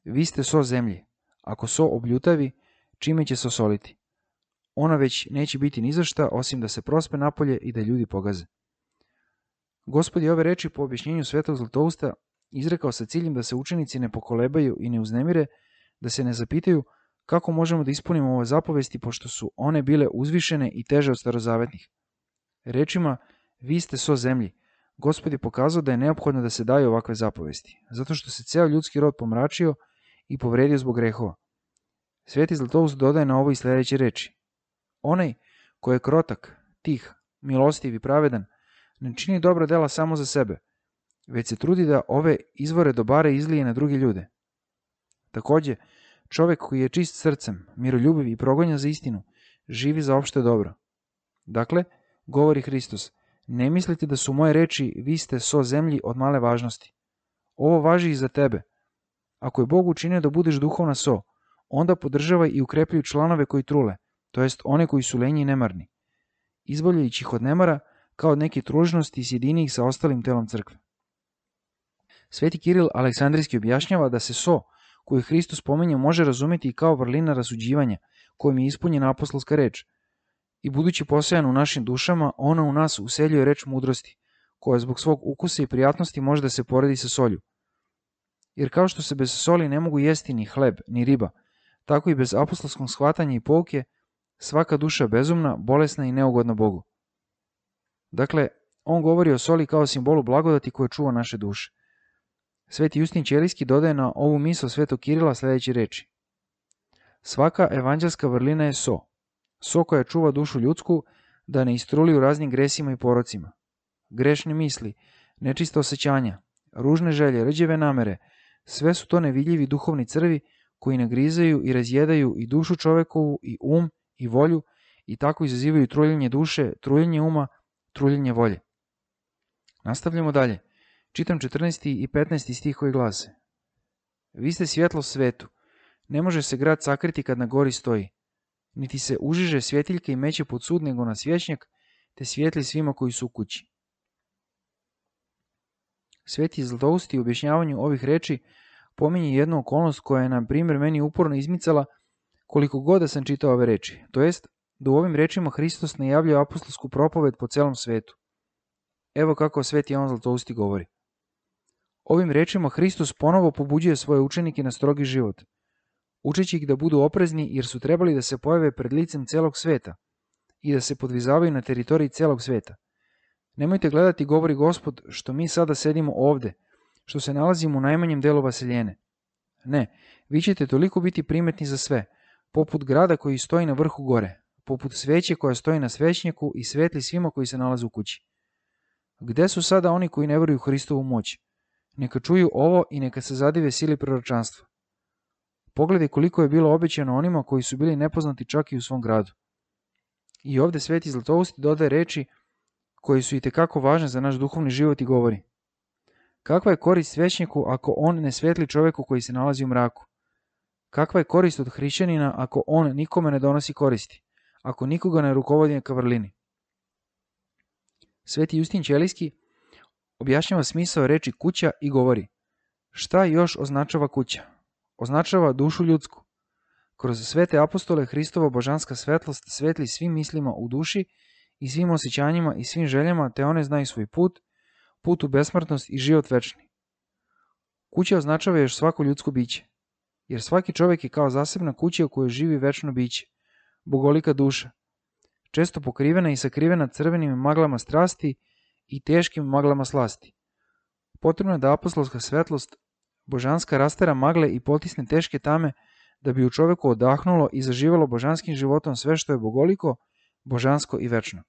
Vi ste so zemlji. Ako so obljutavi, čime će se osoliti? Ona već neće biti ni za šta, osim da se prospe napolje i da ljudi pogaze. Gospod je ove reči po objašnjenju Svetog Zlatousta izrekao sa ciljem da se učenici ne pokolebaju i ne uznemire, da se ne zapitaju kako možemo da ispunimo ove zapovesti, pošto su one bile uzvišene i teže od starozavetnih. Rečima, vi ste so zemlji, Gospod je pokazao da je neophodno da se daju ovakve zapovesti, zato što se ceo ljudski rod pomračio i povredio zbog grehova. Sveti Zlatoust dodaje na ovo i sledeće reči. Onaj ko je krotak, tih, milostiv i pravedan, ne čini dobra dela samo za sebe, već se trudi da ove izvore dobara izlije na druge ljude. Takođe, čovek koji je čist srcem, miroljubiv i progonja za istinu, živi za opšte dobro. Dakle, govori Hristos, ne mislite da su moje reči vi ste so zemlji od male važnosti. Ovo važi i za tebe. Ako je Bog učinio da budeš duhovna so, onda podržavaj i ukrepljuj članove koji trule, to jest one koji su lenji i nemarni, izbavljajući ih od nemara kao od neke tružnosti i sjedini ih sa ostalim telom crkve. Sveti Kiril Aleksandrijski objašnjava da se so, koju Hristos spominje, može razumeti i kao vrlina rasuđivanja, kojim je ispunjena apostolska reč. I budući posajan u našim dušama, ona u nas useljuje reč mudrosti, koja zbog svog ukusa i prijatnosti može da se poredi sa solju. Jer kao što se bez soli ne mogu jesti ni hleb, ni riba, tako i bez apostolskog shvatanja i pouke, svaka duša bezumna, bolesna i neugodna Bogu. Dakle, on govori o soli kao simbolu blagodati koja čuva naše duše. Sveti Justin Ćelijski dodaje na ovu misao Svetog Kirila sledeće reči. Svaka evanđelska vrlina je so. So koja čuva dušu ljudsku da ne istruli u raznim gresima i porocima. Grešne misli, nečista osjećanja, ružne želje, rđeve namere, sve su to nevidljivi duhovni crvi koji nagrizaju i razjedaju i dušu čovekovu i i volju i tako izazivaju truljenje duše, truljenje uma, truljenje volje. Nastavljamo dalje. Čitam 14. i 15. stih koji glase. Vi ste svjetlo svetu. Ne može se grad sakriti kad na gori stoji. Niti se užiže svjetiljke i meće pod sud nego na svjećnjak, te svijetli svima koji su u kući. Sveti Zlatoust u objašnjavanju ovih reči pominje jednu okolnost koja je, na primjer, meni uporno izmicala koliko god da sam čitao ove reči, to jest da u ovim rečima Hristos najavljuje apostolsku propoved po celom svetu. Evo kako Sveti Jovan Zlatousti govori. Ovim rečima Hristos ponovo pobuđuje svoje učenike na strogi život, učeći ih da budu oprezni jer su trebali da se pojave pred licem celog sveta i da se podvizavaju na teritoriji celog sveta. Nemojte gledati, govori Gospod, što mi sada sedimo ovde, što se nalazimo u najmanjem delu vaseljene. Ne, vi ćete toliko biti primetni za sve, poput grada koji stoji na vrhu gore, poput sveće koja stoji na svećnjaku i svetli svima koji se nalaze u kući. Gde su sada oni koji ne veruju u Hristovu moć? Neka čuju ovo i neka se zadive sili proročanstva. Pogledaj koliko je bilo obećano onima koji su bili nepoznati čak i u svom gradu. I ovde Sveti Zlatoust dodaje reči koji su itekako važne za naš duhovni život i govori. Kakva je korist svećniku ako on ne svetli čoveku koji se nalazi u mraku? Kakva je korist od hrišćanina ako on nikome ne donosi koristi, ako nikoga ne rukovodi ka vrlini? Sveti Justin Ćelijski objašnjava smisao reči kuća i govori. Šta još označava kuća? Označava dušu ljudsku. Kroz svete apostole Hristova božanska svetlost svetli svim mislima u duši i svim osjećanjima i svim željama, te one znaju svoj put, put u besmrtnost i život večni. Kuća označava još svako ljudsko biće, jer svaki čovjek je kao zasebna kuća u kojoj živi večno biće, bogolika duša, često pokrivena i sakrivena crvenim maglama strasti i teškim maglama slasti. Potrebno je da apostolska svetlost božanska rastera magle i potisne teške tame da bi u čoveku odahnulo i zaživalo božanskim životom sve što je bogoliko, božansko i večno.